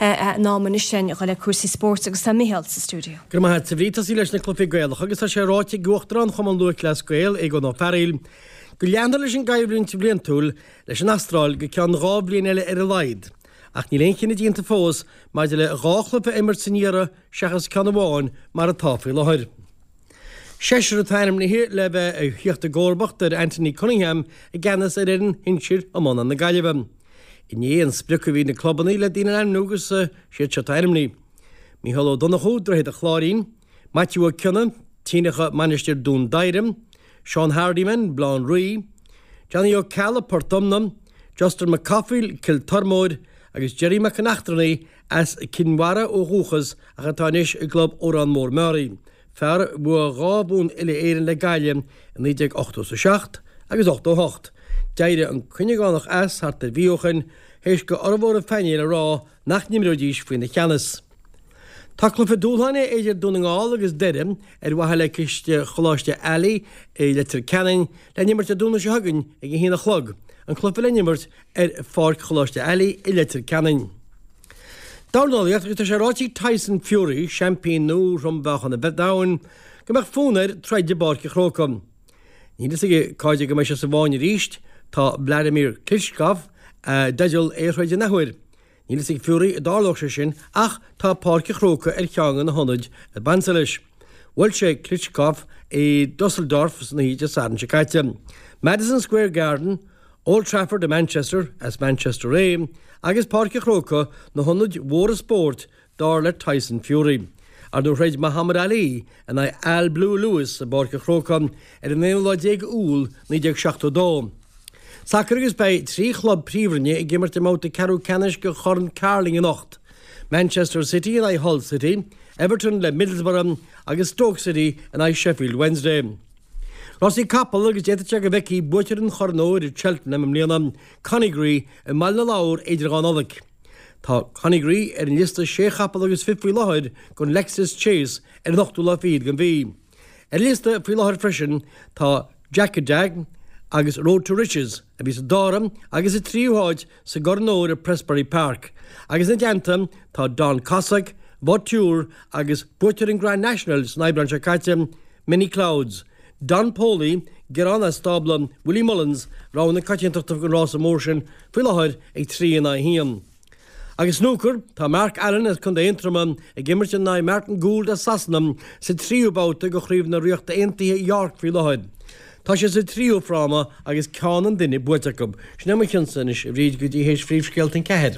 In am anois a dhul le cúrsaí spóirt agus tá Micheál sa stiúideo. Go raibh maith agat, a Bhríd. Tosaí leis na cluichí Gaelacha agus tá sé ráite ag Uachtarán Chumann Lúthchleas Gael, Aogán Ó Fearghaíl, go leanfar leis an gcoimhlint bhliantúil leis an Astráil go ceann 2 bhliain eile ar a laghad. Ach níl aon chinneadh déanta fós maidir le 2 chluiche a imirt san iarraidh seachas ceann amháin mar atá faoi láthair. Seisear atá ainmnithe le bheith ag theacht i gcomharbacht ar Anthony Cunningham i gceannas ar fhoireann shinsir iomána na Gaillimhe. Inné an sprioc a bhí ag na clubanna le daoine a ainmniú agus siad seo atá ainmnithe, Mícheál Ó Donnchú, Droichead an Chláirín, Maitiú Ó Cionnaith, Tinacha Mainistir Dún Doighre, Seán Hardiman, Baile Átha an Rí, Johnny Ó Ceallaigh, Port Omna, Justin Mac Cathmhaoil, Cill Tormóir, agus Gerry Mac an Eachtrannaigh, as Cinn Mhara ó dhúchas ach atá anois i gclub Órán Mór Meáraí, fear a bhuaigh 2 bhonn uile-Éireann le Gaillimh i 1987 agus 88. D'éirigh an Cuinneagánach as thart ar mhí ó shin théis go fhormhór an phainéil a rá nach n-imreoidís faoina cheannas. Tá cluiche dúshláin idir Dún na nGall agus Doire ar mhaithe le ciste Choláiste Ailigh i Leitir Ceanainn le n-imirt Dé Domhnaigh seo chugainn ag a haon a chlog, an cluiche le n-imirt ar pháirc Choláiste Ailigh i Leitir Ceanainn. Dornálaíocht agus tá sé ráite ag Tyson Fury, seaimpín nua throm-mheáchan an domhain, go mbeadh fonn air troid i bPáirc an Chrócaigh. Níl fhios aige cá fhad go mbeidh sé sa bhfáinne arís, tá Wladimir Klitschko i dteideal é a throid in athuair. Níl fhios ag Fury an dtarlódh sé sin ach tá Páirc an Chrócaigh ar cheann de na hionaid ab ansa leis. Bhuail sé Klitschko i Dusseldorf san oíche Dé Sathairn seo caite. Madison Square Garden, Old Trafford i Manchester, as Manchester é, agus Páirc an Chrócaigh na hionaid mhóra spóirt dar le Tyson Fury. Ar ndóigh throid Muhammad Ali in aghaidh Al Blue Lewis i bPáirc an Chrócaigh ar an aonú lá déag Iúil 1972. Sacar agus beidh 3 chlub príomhroinne ag imirt i mbabhta ceathrú ceannais de Chorn Carling anocht, Manchester City in aghaidh Hull City, Everton le Middlesbrough agus Stoke City in aghaidh Sheffield Wednesday. Rásaí capall agus d'fhéadfadh sé go bhfeicfí buaiteoir an Choirn Óir i Cheltenham i mbliana, Coneygree, i mBaile na Lobhar idir an dhá Nollaig. Tá Coneygree ar an liosta sé chapall agus fiche faoi láthair don Lexus Chase ar an ochtú lá fichead den mhí. Ar an liosta faoi láthair freisin tá Djakadam agus Road to Riches, a bhí sa dara agus sa tríú háit sa gCorn Óir i Prestbury Park, agus ina dteannta tá Don Cossack, Vautour agus buaiteoir an Grand National san Aibreán seo caite, Many Clouds, Don Poli, gearán as stábla Willie Mullins, rogha na coitiantachta don rása mór sin faoi láthair ag 3 in aghaidh 1. Agus snúcar, tá Mark Allen as Contae Aontroma ag imirt in aghaidh Martin Gould as Sasana sa tríú babhta de Chraobh na Ríochta Aontaithe York faoi láthair. Tá siad sa tríú fráma agus ceann an duine buaite acu. Sin é mo chionsa anois, a Bhríd, go dtí théis phríomhscéalta an ceathair.